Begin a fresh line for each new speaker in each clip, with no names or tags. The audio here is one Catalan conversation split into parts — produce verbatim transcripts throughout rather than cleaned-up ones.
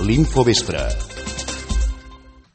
L'Infovespre.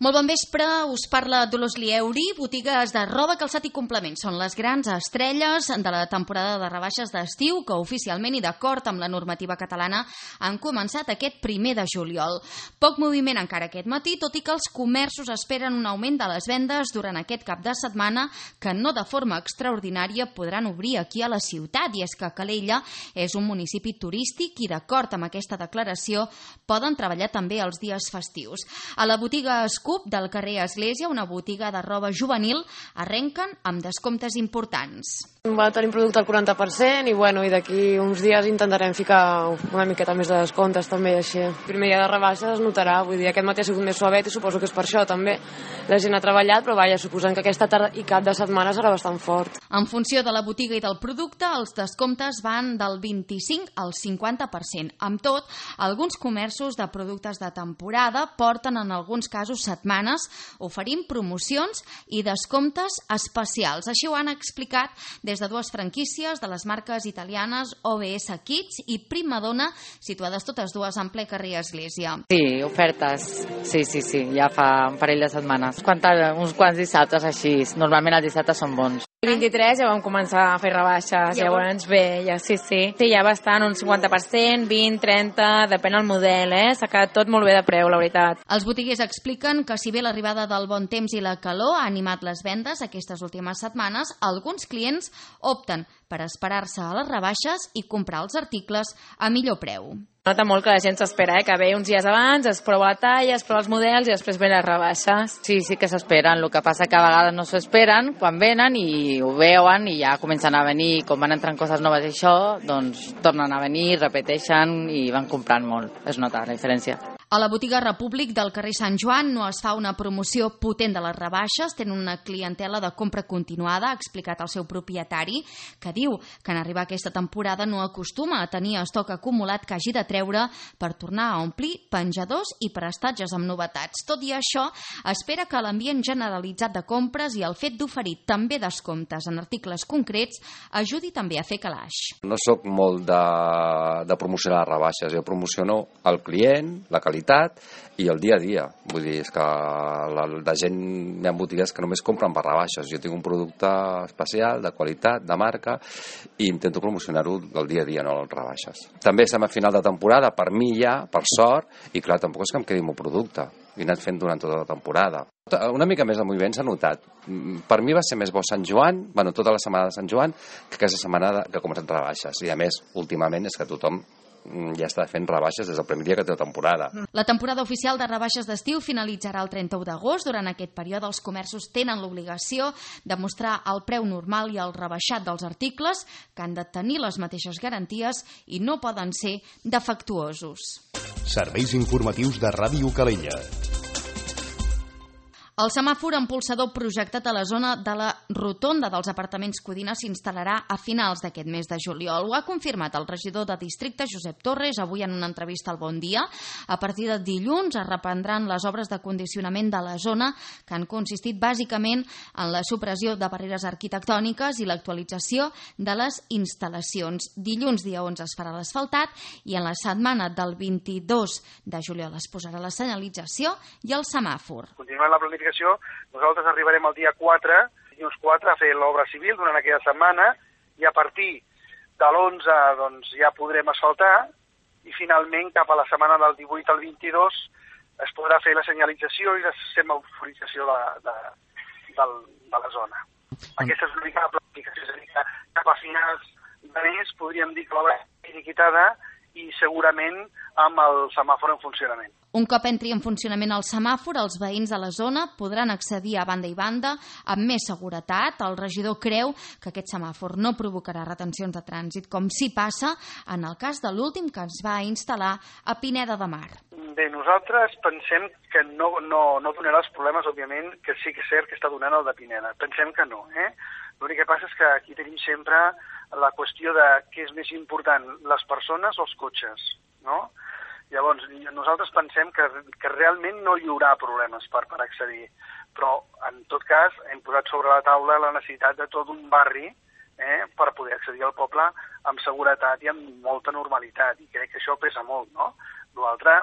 Molt bon vespre, us parla Dolors Lieuri. Botigues de roba, calçat i complements són les grans estrelles de la temporada de rebaixes d'estiu que oficialment i d'acord amb la normativa catalana han començat aquest primer de juliol. Poc moviment encara aquest matí, tot i que els comerços esperen un augment de les vendes durant aquest cap de setmana que no de forma extraordinària podran obrir aquí a la ciutat. I és que Calella és un municipi turístic i d'acord amb aquesta declaració poden treballar també els dies festius. A la botiga Scoop del carrer Església, una botiga de roba juvenil, arrenquen amb descomptes importants.
Va tenir producte al quaranta per cent i, bueno, i d'aquí uns dies intentarem ficar una miqueta més de descomptes també, així. El primer dia de rebaixa es notarà, vull dir, aquest matí ha sigut més suavet i suposo que és per això també. La gent ha treballat, però vaja, suposant que aquesta tarda i cap de setmana serà bastant fort.
En funció de la botiga i del producte, els descomptes van del vint-i-cinc al cinquanta per cent. Amb tot, alguns comerços de productes de temporada porten en alguns casos setmanes oferint promocions i descomptes especials. Així ho han explicat des de dues franquícies de les marques italianes O B S Kids i Primadonna, situades totes dues en ple carrer Església.
Sí, ofertes. Sí, sí, sí, ja fa un parell de setmanes. Quanta, uns quants dissabtes així. Normalment els dissabtes són bons.
El vint-i-tres ja vam començar a fer rebaixes, ja llavors bé, ja sí, sí. Sí, ja bastant, un cinquanta per cent, vint, trenta, depèn del model, eh? S'ha quedat tot molt bé de preu, la veritat.
Els botiguers expliquen que si bé l'arribada del bon temps i la calor ha animat les vendes aquestes últimes setmanes, alguns clients opten per esperar-se a les rebaixes i comprar els articles a millor preu.
Nota molt que la gent s'espera, eh? Que ve uns dies abans, es prova la talla, es prova els models i després ven les rebaixes.
Sí, sí que s'esperen, el que passa que a vegades no s'ho esperen quan venen i ho veuen i ja comencen a venir, com van entrant coses noves i això, doncs tornen a venir, repeteixen i van comprant molt. Es nota la diferència.
A la botiga Repúblic del carrer Sant Joan no es fa una promoció potent de les rebaixes, tenen una clientela de compra continuada, ha explicat el seu propietari, que diu que en arribar aquesta temporada no acostuma a tenir estoc acumulat que hagi de treure per tornar a omplir penjadors i prestatges amb novetats. Tot i això, espera que l'ambient generalitzat de compres i el fet d'oferir també descomptes en articles concrets ajudi també a fer calaix.
No sóc molt de, de promocionar rebaixes, jo promociono el client, la qualitat i el dia a dia. Vull dir, és que la, la gent, hi ha botigues que només compren per rebaixes. Jo tinc un producte especial, de qualitat, de marca, i intento promocionar-ho del dia a dia, no les rebaixes. També estem a final de temporada, per mi ja, per sort, i clar, tampoc és que em quedi el meu producte. L'he anat fent durant tota la temporada. Una mica més de moviment s'ha notat. Per mi va ser més bo Sant Joan, bueno, tota la setmana de Sant Joan, que aquesta setmana que ha començat rebaixes. I a més, últimament, és que tothom ja està fent rebaixes des del primer dia que té la temporada.
La temporada oficial de rebaixes d'estiu finalitzarà el trenta-u d'agost. Durant aquest període els comerços tenen l'obligació de mostrar el preu normal i el rebaixat dels articles, que han de tenir les mateixes garanties i no poden ser defectuosos.
Serveis informatius de Ràdio Calella.
El semàfor impulsador projectat a la zona de la rotonda dels apartaments Codina s'instal·larà a finals d'aquest mes de juliol. Ho ha confirmat el regidor de districte, Josep Torres, avui en una entrevista al Bon Dia. A partir de dilluns es reprendran les obres de condicionament de la zona, que han consistit bàsicament en la supressió de barreres arquitectòniques i l'actualització de les instal·lacions. Dilluns, dia onze, es farà l'asfaltat i en la setmana del vint-i-dos de juliol es posarà la senyalització i el semàfor.
Continuant la planificació, nosaltres arribarem el dia quatre, dilluns quatre, a fer l'obra civil durant aquella setmana i a partir de l'onze doncs, ja podrem asfaltar i finalment cap a la setmana del divuit al vint-i-dos es podrà fer la senyalització i la semaforització de, de, de, de la zona. Aquesta és una mica la planificació, és a dir, que cap a finals de mes podríem dir que l'obra és liquidada i segurament amb el semàfor en funcionament.
Un cop entri en funcionament el semàfor, els veïns de la zona podran accedir a banda i banda amb més seguretat. El regidor creu que aquest semàfor no provocarà retencions de trànsit, com sí passa en el cas de l'últim que es va instal·lar a Pineda de Mar.
Bé, nosaltres pensem que no, no, no donarà els problemes, òbviament, que sí que és cert que està donant el de Pineda. Pensem que no, eh? L'únic que passa és que aquí tenim sempre la qüestió de què és més important, les persones o els cotxes, no? Llavors, nosaltres pensem que, que realment no hi haurà problemes per, per accedir, però en tot cas hem posat sobre la taula la necessitat de tot un barri eh, per poder accedir al poble amb seguretat i amb molta normalitat, i crec que això pesa molt, no? L'altre,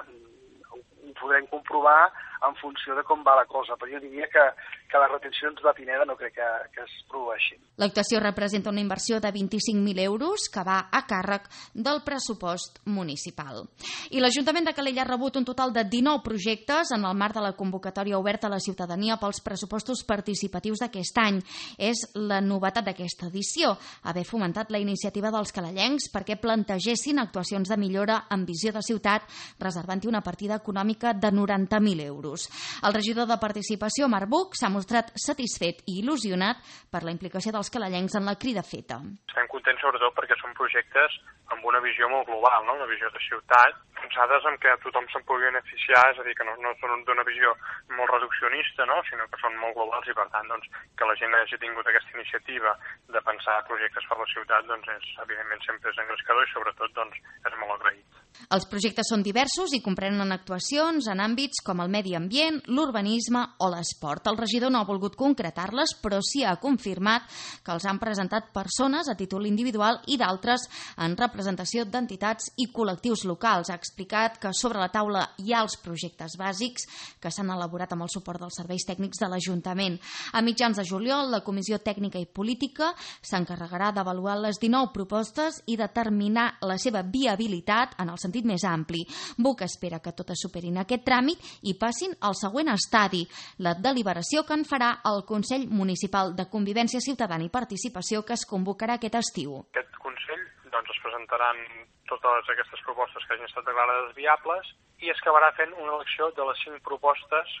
ho, ho podrem comprovar en funció de com va la cosa, però jo diria que, que les retencions de Pineda no crec que, que es produeixin.
L'actuació representa una inversió de vint-i-cinc mil euros que va a càrrec del pressupost municipal. I l'Ajuntament de Calella ha rebut un total de dinou projectes en el marc de la convocatòria oberta a la ciutadania pels pressupostos participatius d'aquest any. És la novetat d'aquesta edició, haver fomentat la iniciativa dels calellencs perquè plantegessin actuacions de millora amb visió de ciutat, reservant-hi una partida econòmica de noranta mil euros. El regidor de Participació, Marc Buch, s'ha mostrat satisfet i il·lusionat per la implicació dels calellencs en la crida feta.
Estem contents sobretot perquè són projectes amb una visió molt global, no? Una visió de ciutat, pensades en què tothom se'n pugui beneficiar, és a dir, que no, no són d'una visió molt reduccionista, no? Sinó que són molt globals i, per tant, doncs, que la gent hagi tingut aquesta iniciativa de pensar projectes per la ciutat, doncs, és, evidentment, sempre és engrescador i, sobretot, doncs, és molt agraït.
Els projectes són diversos i comprenen actuacions en àmbits com el medi ambient, l'urbanisme o l'esport. El regidor no ha volgut concretar-les, però sí ha confirmat que els han presentat persones a títol individual i d'altres en representació d'entitats i col·lectius locals. Ha explicat que sobre la taula hi ha els projectes bàsics que s'han elaborat amb el suport dels serveis tècnics de l'Ajuntament. A mitjans de juliol, la Comissió Tècnica i Política s'encarregarà d'avaluar les dinou propostes i determinar la seva viabilitat en el sentit més ampli. Buch espera que totes superin aquest tràmit i passin al següent estadi, la deliberació que en farà el Consell Municipal de Convivència Ciutadana i Participació que es convocarà aquest estiu.
Aquest Consell doncs, es presentaran totes aquestes propostes que hagin estat declarades viables i es acabarà fent una elecció de les cinc propostes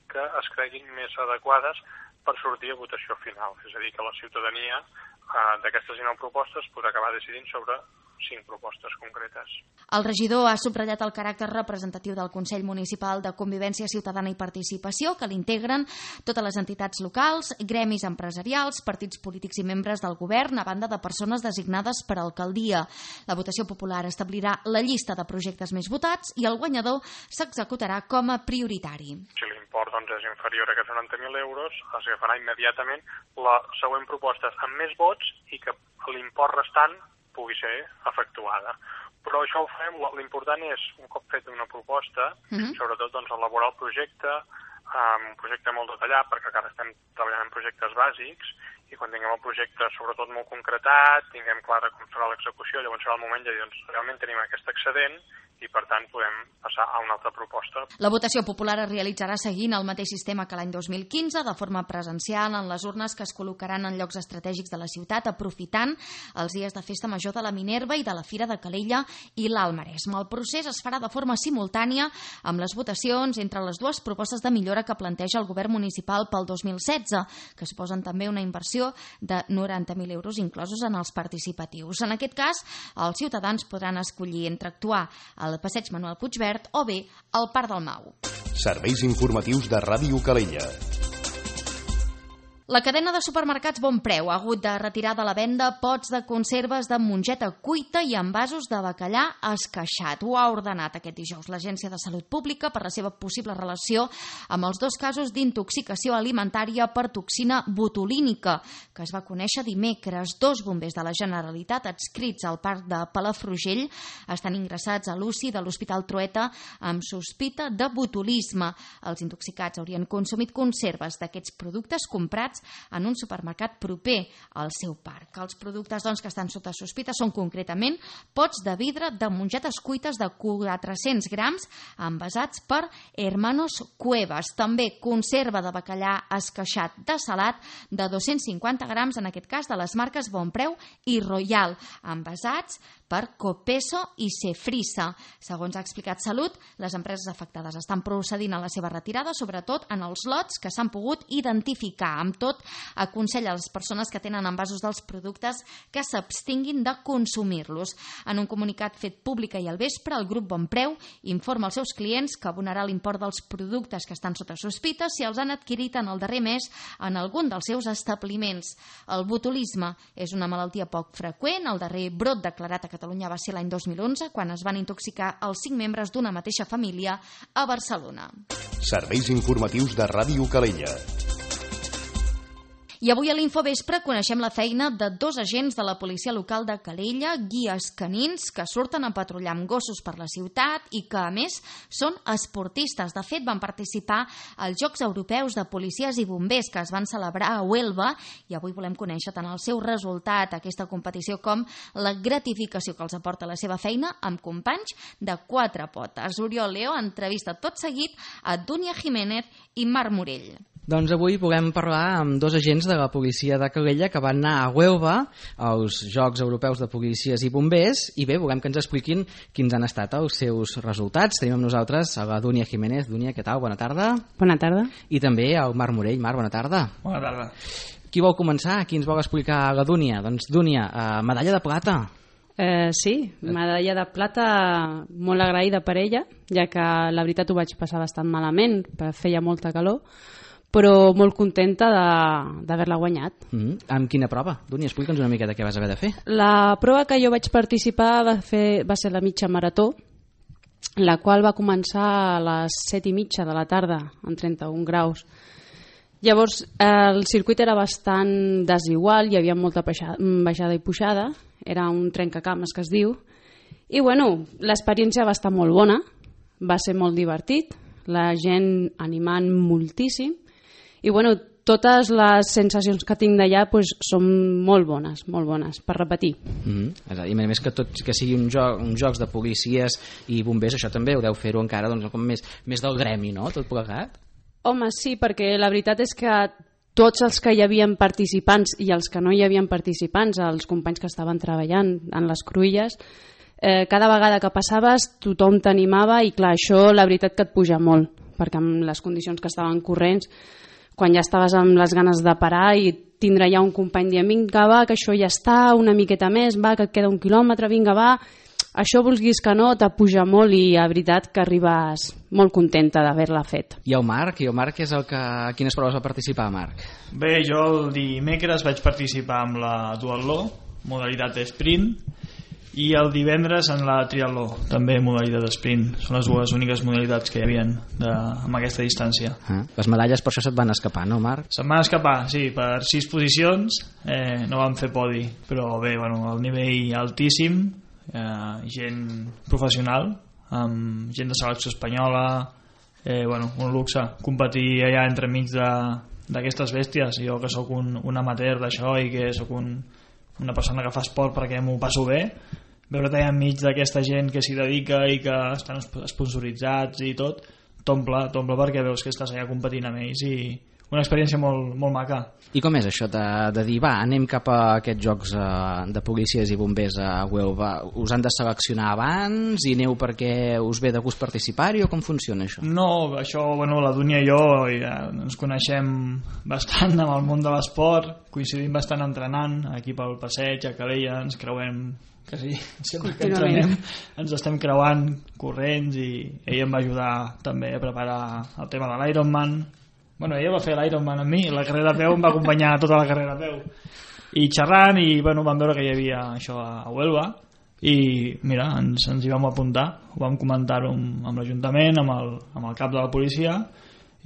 que es creguin més adequades per sortir a votació final. És a dir, que la ciutadania eh, d'aquestes dinou propostes podrà acabar decidint sobre cinc propostes concretes.
El regidor ha subratllat el caràcter representatiu del Consell Municipal de Convivència Ciutadana i Participació, que l'integren totes les entitats locals, gremis empresarials, partits polítics i membres del govern, a banda de persones designades per alcaldia. La votació popular establirà la llista de projectes més votats i el guanyador s'executarà com a prioritari.
Si l'import doncs, és inferior a aquests noranta mil euros, es agafarà immediatament la següent proposta amb més vots i que l'import restant pugui ser efectuada. Però això ho fem, l'important és, un cop feta una proposta, uh-huh. sobretot doncs, elaborar el projecte, um, un projecte molt detallat, perquè encara estem treballant en projectes bàsics, i quan tinguem el projecte sobretot molt concretat, tinguem clara com serà l'execució, llavors serà el moment de dir, doncs, realment tenim aquest excedent, i per tant podem passar a una altra proposta.
La votació popular es realitzarà seguint el mateix sistema que l'any dos mil quinze, de forma presencial en les urnes que es col·locaran en llocs estratègics de la ciutat, aprofitant els dies de festa major de la Minerva i de la Fira de Calella i l'Alt Maresme. El procés es farà de forma simultània amb les votacions entre les dues propostes de millora que planteja el govern municipal pel dos mil setze, que suposen també una inversió de noranta mil euros inclosos en els participatius. En aquest cas, els ciutadans podran escollir entre actuar al Passeig Manuel Puigverd o bé al Parc del Mau.
Serveis informatius de Ràdio Calella.
La cadena de supermercats Bonpreu ha hagut de retirar de la venda pots de conserves de mongeta cuita i envasos de bacallà esqueixat. Ho ha ordenat aquest dijous l'Agència de Salut Pública per la seva possible relació amb els dos casos d'intoxicació alimentària per toxina botulínica, que es va conèixer dimecres. Dos bombers de la Generalitat adscrits al parc de Palafrugell estan ingressats a l'U C I de l'Hospital Trueta amb sospita de botulisme. Els intoxicats haurien consumit conserves d'aquests productes comprats en un supermercat proper al seu parc. Els productes doncs, que estan sota sospita són concretament pots de vidre de mongetes cuites de quatre-cents grams envasats per Hermanos Cuevas. També conserva de bacallà esqueixat de salat de dos-cents cinquanta grams, en aquest cas de les marques Bonpreu i Royal, envasats per Copeso i Cefrisa. Segons ha explicat Salut, les empreses afectades estan procedint a la seva retirada, sobretot en els lots que s'han pogut identificar. Amb tot, aconsella a les persones que tenen envasos dels productes que s'abstinguin de consumir-los. En un comunicat fet públic ahir al vespre, el grup Bonpreu informa als seus clients que abonarà l'import dels productes que estan sota sospita si els han adquirit en el darrer mes en algun dels seus establiments. El botulisme és una malaltia poc freqüent. El darrer brot declarat a Catalunya va ser l'any dos mil onze, quan es van intoxicar els cinc membres d'una mateixa família a Barcelona.
Serveis informatius de Ràdio Calella.
I avui a l'Infovespre coneixem la feina de dos agents de la policia local de Calella, guies canins, que surten a patrullar amb gossos per la ciutat i que, a més, són esportistes. De fet, van participar als Jocs Europeus de Policies i Bombers que es van celebrar a Huelva i avui volem conèixer tant el seu resultat, aquesta competició, com la gratificació que els aporta la seva feina amb companys de quatre potes. Oriol Leo entrevista tot seguit a Dúnia Jiménez i Marc Morell.
Doncs avui volem parlar amb dos agents de la policia de Calella que van anar a Huelva als Jocs Europeus de Policies i Bombers i bé, volem que ens expliquin quins han estat els seus resultats. Tenim amb nosaltres a la Dúnia Jiménez. Dúnia, què tal? Bona tarda.
Bona tarda.
I també al Marc Morell. Marc, bona tarda.
Bona tarda.
Qui vol començar? Qui ens vol explicar la Dúnia? Doncs Dúnia, eh, medalla de plata.
Eh, sí, medalla de plata molt agraïda per ella, ja que la veritat ho vaig passar bastant malament, feia molta calor, però molt contenta d'haver-la guanyat.
Mm-hmm. Amb quina prova? Dúnia, explica'ns una miqueta què vas haver de fer.
La prova que jo vaig participar va, fer, va ser la mitja marató, la qual va començar a les set i mitja de la tarda, en trenta-un graus. Llavors, el circuit era bastant desigual, hi havia molta baixada i pujada, era un trencacames que es diu, i bueno, l'experiència va estar molt bona, va ser molt divertit, la gent animant moltíssim, i bueno, totes les sensacions que tinc d'allà pues, són molt bones, molt bones, per repetir.
Mm-hmm. I a més que tot que sigui un joc, uns jocs de policies i bombers, això també ho deu fer-ho encara doncs, com més, més del gremi, no?, tot plegat?
Home, sí, perquè la veritat és que tots els que hi havien participants i els que no hi havien participants, els companys que estaven treballant en les cruïlles, eh, cada vegada que passaves tothom t'animava i clar, això la veritat que et puja molt, perquè amb les condicions que estaven corrents, quan ja estaves amb les ganes de parar i tindre ja un company dient vinga va, que això ja està, una miqueta més, va, que et queda un quilòmetre, vinga va, això vulguis que no, t'apuja molt i la veritat que arribes molt contenta d'haver-la fet.
I el Marc? I el Marc és el que... A quines proves va participar, Marc?
Bé, jo el dimecres vaig participar amb la duatló, modalitat sprint, i el divendres en la triatló, també modalitat sprint. Són les dues úniques modalitats que hi havia de, amb aquesta distància.
Ah, les medalles per això se't van escapar, no, Marc?
Se'm van escapar, sí, per sis posicions, eh, no vam fer podi, però bé, bueno, el nivell altíssim, eh, gent professional, amb gent de selecció espanyola, eh, bueno, un luxe, competir allà entremig d'aquestes bèsties, jo que sóc un, un amateur d'això i que sóc un, una persona que fa esport perquè m'ho passo bé, veure't allà enmig d'aquesta gent que s'hi dedica i que estan sponsoritzats i tot, t'omple, t'omple perquè veus que estàs allà competint amb ells i una experiència molt, molt maca.
I com és això de, de dir, va, anem cap a aquests jocs eh, de policies i bombers a Huelva? Us han de seleccionar abans i aneu perquè us ve de gust participar-hi o com funciona això?
No, això, bueno, la Dúnia i jo ja ens coneixem bastant amb el món de l'esport, coincidim bastant entrenant, aquí pel passeig, a Calella, ens creuem quasi sempre que entrenem, ens estem creuant corrents i ell em va ajudar també a preparar el tema de l'Ironman. Bueno, ella va fer l'Ironman amb mi, la carrera a peu em va acompanyar tota la carrera a peu. I xerrant, i bueno, vam veure que hi havia això a Huelva, i mira, ens, ens hi vam apuntar, ho vam comentar-ho amb, amb l'Ajuntament, amb el, amb el cap de la policia,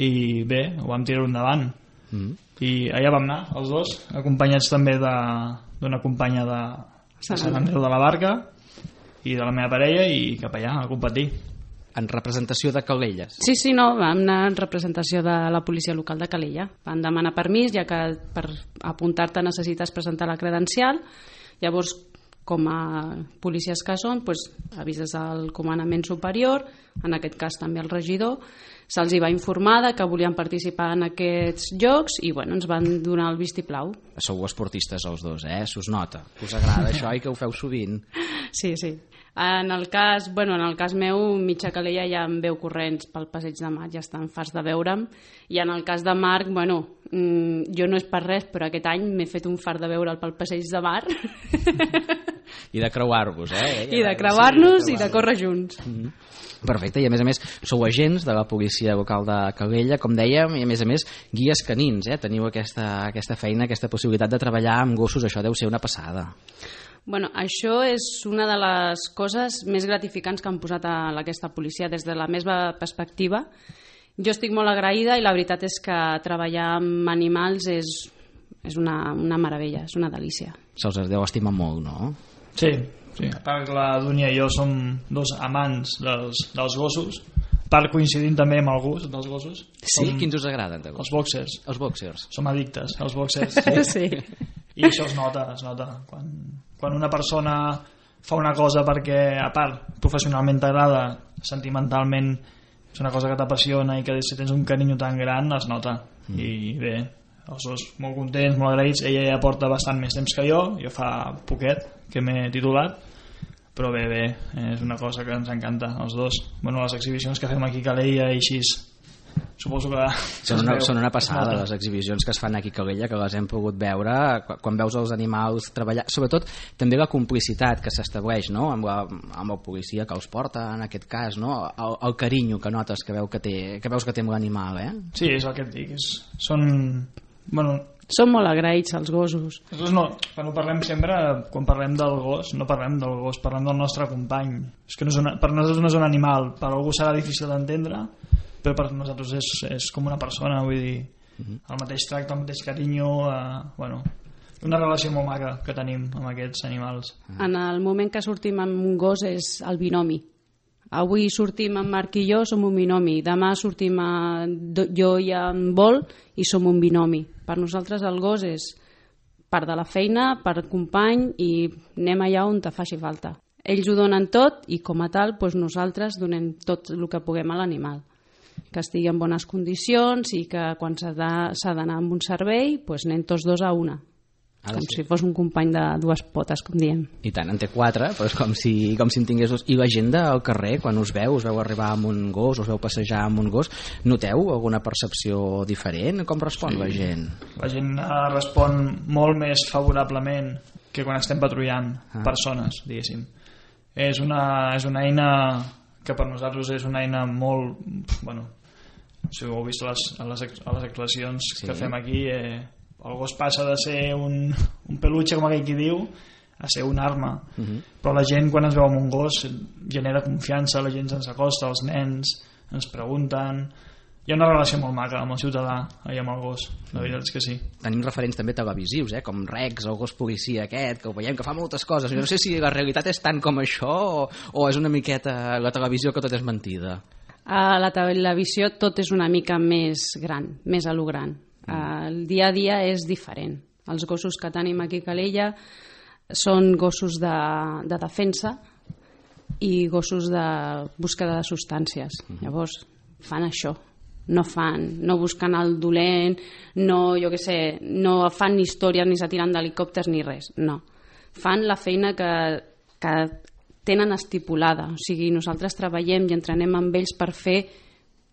i bé, ho vam tirar endavant. Mm. I allà vam anar, els dos, acompanyats també d'una companya de, de Sant Andreu de la Barca, i de la meva parella, i cap allà, a competir.
En representació de Calella?
Sí, sí, no, vam anar en representació de la policia local de Calella. Van demanar permís, ja que per apuntar-te necessites presentar la credencial. Llavors, com a policies que són, doncs, avises al comandament superior, en aquest cas també al regidor, se'ls hi va informar que volien participar en aquests jocs i bueno, ens van donar el vistiplau.
Sou esportistes els dos, eh? S'us nota. Us agrada això i que ho feu sovint.
Sí, sí. En el cas, bueno, en el cas meu, mitja Calella ja em veu corrents pel passeig de Mar, ja estan farts de veure'm, i en el cas de Marc, bueno, mmm, jo no és per res, però aquest any m'he fet un fart de veure'l pel passeig de Mar.
I de creuar-vos, eh?
I de creuar-nos sí, i de córrer junts.
Mm-hmm. Perfecte, i a més a més sou agents de la policia local de Calella, com dèiem, i a més a més guies canins, eh? Teniu aquesta, aquesta feina, aquesta possibilitat de treballar amb gossos, això deu ser una passada.
Bueno, això és una de les coses més gratificants que han posat a aquesta policia des de la meva perspectiva. Jo estic molt agraïda i la veritat és que treballar amb animals és és una, una meravella, és una delícia.
Se'ls deu estimar molt, no?
Sí, sí. A part que la Dúnia i jo som dos amants dels, dels gossos, a part coincidint també amb el gust dels gossos.
Sí?
Som...
Quins us agraden?
Els boxers.
Els boxers.
Som addictes als boxers. Sí.
Sí.
I això es nota, es nota. Quan, quan una persona fa una cosa perquè, a part, professionalment t'agrada, sentimentalment és una cosa que t'apassiona i que si tens un carinyo tan gran es nota. Mm. I bé, els dos molt contents, molt agraïts. Ella ja porta bastant més temps que jo, jo fa poquet que m'he titulat, però bé, bé, és una cosa que ens encanta els dos. Bueno, les exhibicions que fem aquí a Calella i així, suposo que
són una, són una passada les exhibicions que es fan aquí a Calella, que les hem pogut veure quan veus els animals treballar, sobretot també la complicitat que s'estableix, no? amb, la, amb el policia que els porta en aquest cas, no? el, el carinyo que notes que, veu que, té, que veus que té amb l'animal, eh?
Sí, és el que et dic, és, són bueno,
són molt agraïts els gossos.
No, quan ho parlem sempre, quan parlem del gos, no parlem del gos, parlem del nostre company. És que no és una, per nosaltres no és un animal, per algú serà difícil d'entendre, però per nosaltres és, és com una persona, vull dir, el mateix tracte, el mateix carinyo, eh, bueno, una relació molt maca que tenim amb aquests animals.
En el moment que sortim amb un gos és el binomi. Avui sortim amb Marc i jo, som un binomi. Demà sortim a, jo i en Vol i som un binomi. Per nosaltres el gos és part de la feina, per company, i anem allà on te faci falta. Ells ho donen tot i com a tal doncs nosaltres donem tot el que puguem a l'animal. Que estigui en bones condicions i que quan s'ha d'anar amb un servei doncs anem tots dos a una. Com si fos un company de dues potes, com diem.
I tant, en té quatre, però és com si, com si en tingués dos. I la gent del carrer, quan us veu, us veu arribar amb un gos, us veu passejar amb un gos, noteu alguna percepció diferent? Com respon sí. la gent?
La gent respon molt més favorablement que quan estem patrullant ah. persones, diguéssim. És una, és una eina que per nosaltres és una eina molt... Bueno, si ho heu vist a les, a les, a les actuacions sí. que fem aquí... Eh, el gos passa de ser un, un peluche, com aquell qui diu, a ser una arma. Uh-huh. Però la gent, quan ens veu amb un gos, genera confiança, la gent ens acosta, els nens ens pregunten... Hi ha una relació molt maca amb el ciutadà i amb el gos, la veritat és que sí.
Tenim referents també televisius, eh? Com Rex, el gos policia aquest, que ho veiem que fa moltes coses. Jo no sé si la realitat és tant com això o, o és una miqueta la televisió que tot és mentida.
A la televisió tot és una mica més gran, més a lo gran. El dia a dia és diferent. Els gossos que tenim aquí a Calella són gossos de, de defensa i gossos de búsqueda de substàncies. Llavors fan això, no fan, no busquen el dolent, no, jo què sé, no fan ni històries ni se tiren d'helicòpters ni res, no. Fan la feina que, que tenen estipulada, o sigui, nosaltres treballem i entrenem amb ells per fer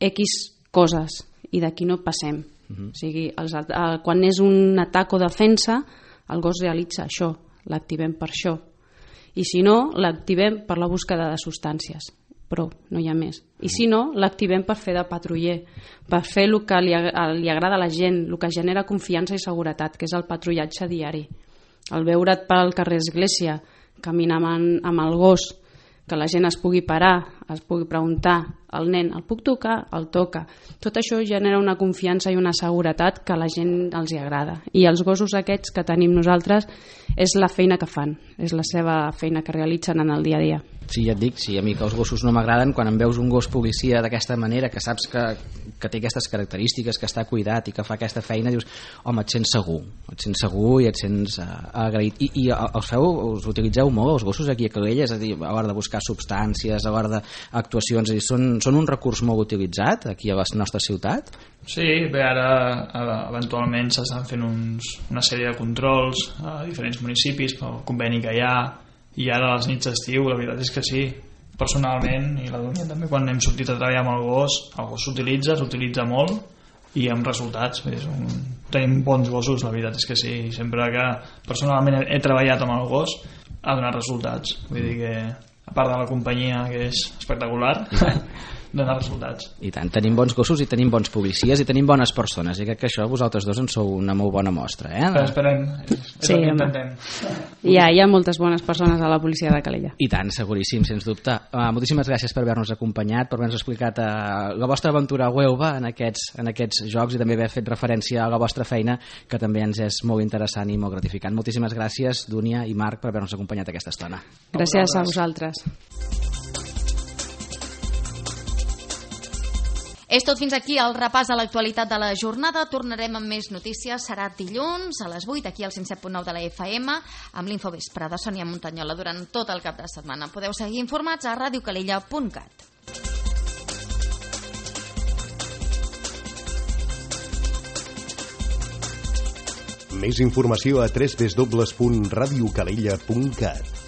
X coses i d'aquí no passem. Uh-huh. O sigui, els, el, quan és un atac o defensa, el gos realitza això, l'activem per això. I si no, l'activem per la búsqueda de substàncies, però no hi ha més. I si no, l'activem per fer de patruller, per fer el que li, li agrada a la gent, el que genera confiança i seguretat, que és el patrullatge diari. El veure't pel carrer Església, caminar amb, amb el gos, que la gent es pugui parar, es pugui preguntar al nen, el puc tocar? El toca. Tot això genera una confiança i una seguretat que a la gent els hi agrada. I els gossos aquests que tenim nosaltres és la feina que fan, és la seva feina que realitzen en el dia a dia.
Sí, ja et dic, sí, a mi que els gossos no m'agraden, quan em veus un gos policia d'aquesta manera, que saps que, que té aquestes característiques, que està cuidat i que fa aquesta feina, dius, home, et sents segur, et sents segur i et sents uh, agraït. I, i els feu, us utilitzeu molt, els gossos aquí a Calella, és a dir, a l'hora de buscar substàncies, a l'hora d'actuacions, són, són un recurs molt utilitzat aquí a la nostra ciutat?
Sí, bé, ara eventualment s'estan fent uns, una sèrie de controls a diferents municipis pel conveni que hi ha, i ara a les nits d'estiu la veritat és que sí, personalment i la Dúnia també, quan hem sortit a treballar amb el gos, el gos s'utilitza, s'utilitza molt i amb resultats, és un... tenim bons gossos, la veritat és que sí, sempre que personalment he, he treballat amb el gos ha donat resultats, vull dir que a part de la companyia que és espectacular donar resultats.
I tant, tenim bons gossos i tenim bons policies i tenim bones persones, i crec que això vosaltres dos en sou una molt bona mostra, eh?
Però esperem, és
sí,
el que intentem.
Hi ha, hi ha moltes bones persones a la policia de Calella.
I tant, seguríssim, sens dubte. Uh, moltíssimes gràcies per haver-nos acompanyat, per haver-nos explicat uh, la vostra aventura a Huelva en aquests, en aquests jocs i també haver fet referència a la vostra feina, que també ens és molt interessant i molt gratificant. Moltíssimes gràcies, Dúnia i Marc, per haver-nos acompanyat aquesta estona.
Gràcies a vosaltres.
És tot fins aquí el repàs de l'actualitat de la jornada. Tornarem amb més notícies. Serà dilluns a les vuit aquí al cent set punt nou de la F M amb l'Infovespre de Sònia Montanyola durant tot el cap de setmana. Podeu seguir informats a radio calella punt cat.
Més informació a w w w punt radio calella punt cat.